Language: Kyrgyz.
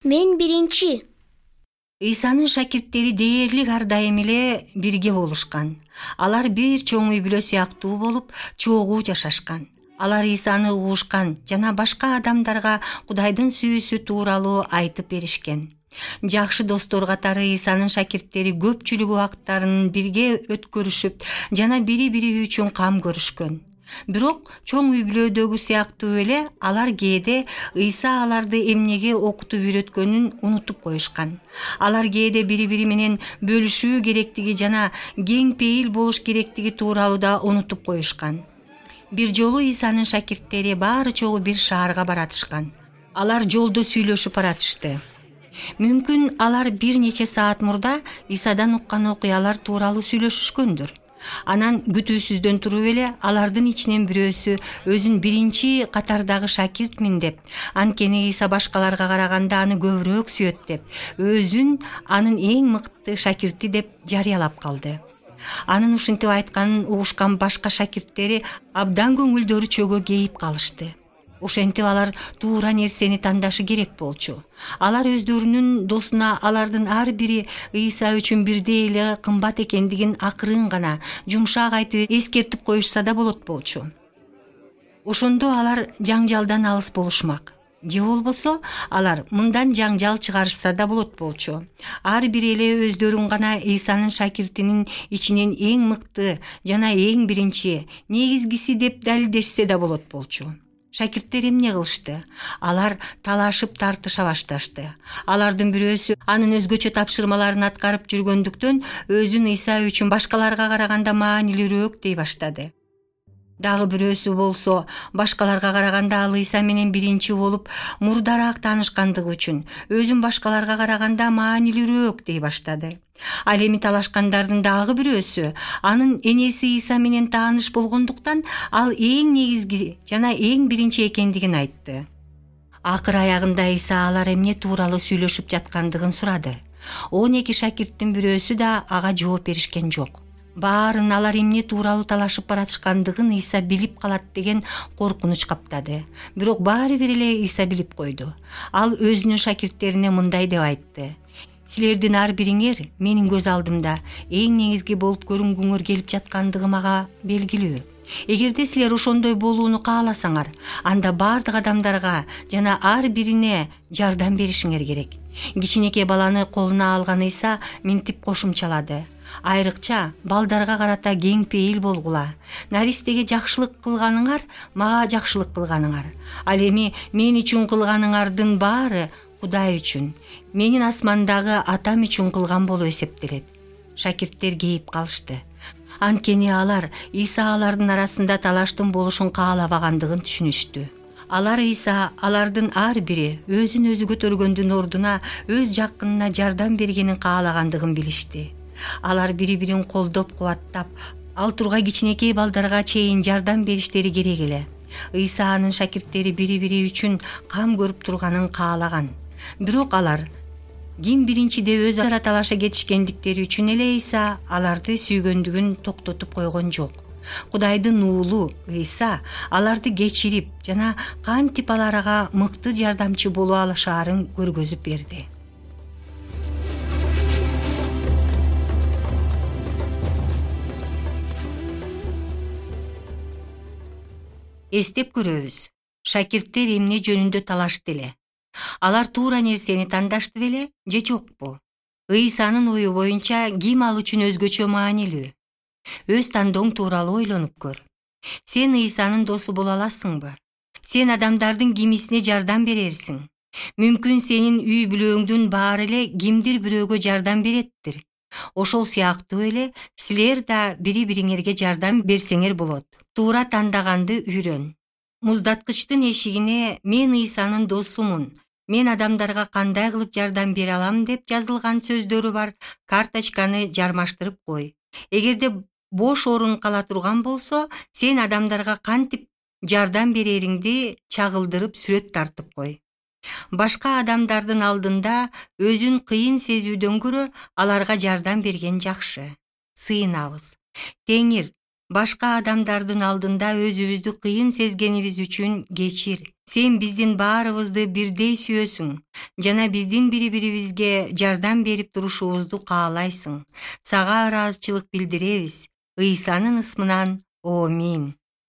Мен биринчи. Ыйсанын шакирттери дээрлик ар дайым эле бирге болушкан. Алар бир чоң үй бүлө сыяктуу болуп, чогуу жашашкан. Алар Ыйсаны угушкан жана башка адамдарга Кудайдын сүйүүсү тууралуу айтып беришкен. Жакшы достор катары Ыйсанын шакирттери көпчүлүк убактарын бирге өткөрүшүп жана бири-бири үчүн кам көрүшкөн. Бирок чоң үй бүлөдөгү сыяктуу эле алар кээде Ыйса аларды эмнеге окутуп үйрөткөнүн унутуп коюшкан. Алар кээде бири-бири менен бөлүшүү керектиги жана кең пейил болуш керектиги тууралуу да унутуп коюшкан. Бир жолу Ыйсанын шакирттери баары чогуу бир шаарга баратышкан. Алар жолдо сүйлөшүп баратышты. Мүмкүн алар бир нече саат мурда Ыйсадан уккан окуялар тууралуу сүйлөшүшкөндүр. Анан күтүүсүздөн туруп эле алардын ичинен бирөөсү өзүн биринчи катардагы шакиртмин деп, анткени Ыйса башкаларга караганда аны көбүрөөк сүйөт деп, өзүн анын эң мыкты шакирти деп жарыялап калды. Анын ушинтип айтканын угушкан башка шакирттери абдан көңүлдөрү чөгө кейип калышты. Ошентип алар туура нерсени тандашы керек болчу. Алар өздөрүнүн досуна алардын ар бири Ыйса үчүн бирдей эле кымбат экендигин акырын гана жумшак айтып эскертип коюшса да болот болчу. Ошондо алар жаңжалдан алыс болушмак. Же болбосо алар мындан жаңжал чыгарышса да болот болчу. Ар бири эле өздөрүн гана Ыйсанын шакиртинин ичинен эң мыкты жана эң биринчи, негизгиси деп далилдешсе да болот болчу. Шакирттер эмне кылышты? Алар талашып тартыша башташты. Алардын бирөөсү анын өзгөчө тапшырмаларын аткарып жүргөндүктөн өзүн Ыйса үчүн башкаларга караганда маанилүүрөөк дей баштады. Дагы бирөөсү болсо башкаларга караганда ал Ыйса менен биринчи болуп мурдараак таанышкандыгы үчүн өзүн башкаларга караганда маанилүүрөөк дей баштады. Ал эми талашкандардын дагы бирөөсү анын энеси Ыйса менен тааныш болгондуктан ал эң негизги жана эң биринчи экендигин айтты. Акыр аягында Ыйса алар эмне тууралуу сүйлөшүп жаткандыгын сурады. 12 шакирттин бирөөсү да ага жооп беришкен жок. Баарын алар эмне тууралуу талашып баратышкандыгын Ыйса билип калат деген коркунуч каптады. Бирок баары бир эле Ыйса билип койду. Ал өзүнүн шакирттерине мындай деп айтты: Силердин ар бириңер менин көз алдымда эң негизги болуп көрүнгүңөр келип жаткандыгы мага белгилүү. Эгерде силер ошондой болууну кааласаңар, анда бардык адамдарга жана ар бирине жардам беришиңер керек. Кичинекей баланы колуна алган Ыйса минтип кошумчалады: Айрыкча балдарга карата кең пейил болгула. Наристеге жакшылык кылганыңар мага жакшылык кылганыңар. Ал эми мен үчүн кылганыңардын баары Кудай үчүн, менин асмандагы атам үчүн кылган болуп эсептелет. Шакирттер кейип калышты. Анткени алар Ыйса алардын арасында талаштын болушун каалабагандыгын түшүнүштү. Алар Ыйса алардын ар бири өзүн өзү көтөргөндүн ордуна өз жакынына жардам бергенин каалагандыгын билишти. Алар бири-бирин колдоп кубаттап, ал тургай кичинекей балдарга чейин жардам бериштери керек эле. Ыйса анын шакирттери бири-бири үчүн кам көрүп турганын каалаган. Бирок алар ким биринчи деп өз ара талаша кетишкендиктери үчүн эле Ыйса аларды сүйгөндүгүн токтотуп койгон жок. Кудайдын уулу Ыйса аларды кечирип жана кантип аларга мыкты жардамчы боло алышаарын көргөзүп берди. Эстеп көрөбүз. Шакирттер эмне жөнүндө талашты эле? Алар туура нерсени тандашты беле же жокпу? Ыйсанын ою боюнча ким ал үчүн өзгөчө маанилүү? Өз тандооң тууралуу ойлонуп көр. Сен Ыйсанын досу боло аласыңбы? Сен адамдардын кимисине жардам берерсиң? Мүмкүн сенин үй бүлөңдүн баары эле кимдир бирөөгө жардам береттир. Ошол сыяктуу эле силер да бири-бириңерге жардам берсеңер болот. Туура тандаганды үйрөн. Муздаткычтын эшигине "Мен Ыйсанын досумун, мен адамдарга кандай кылып жардам бере алам" деп жазылган сөздөрү бар карточканы жармаштырып кой. Эгерде бош орун кала турган болсо, сен адамдарга кантип жардам берериңди чагылдырып сүрөт тартып кой. Башка адамдардын алдында өзүн кыйын сезүүдөн көрө аларга жардам берген жакшы. Сыйынабыз. Теңир Башка адамдардын алдында өзүбүздү кыйын сезгенибиз үчүн кечир. Сен биздин баарыбызды бирдей сүйөсүң жана биздин бири-бирибизге жардам берип турушубузду каалайсың. Сага ыраазычылык билдиребиз. Ыйсанын ысмынан. Амин.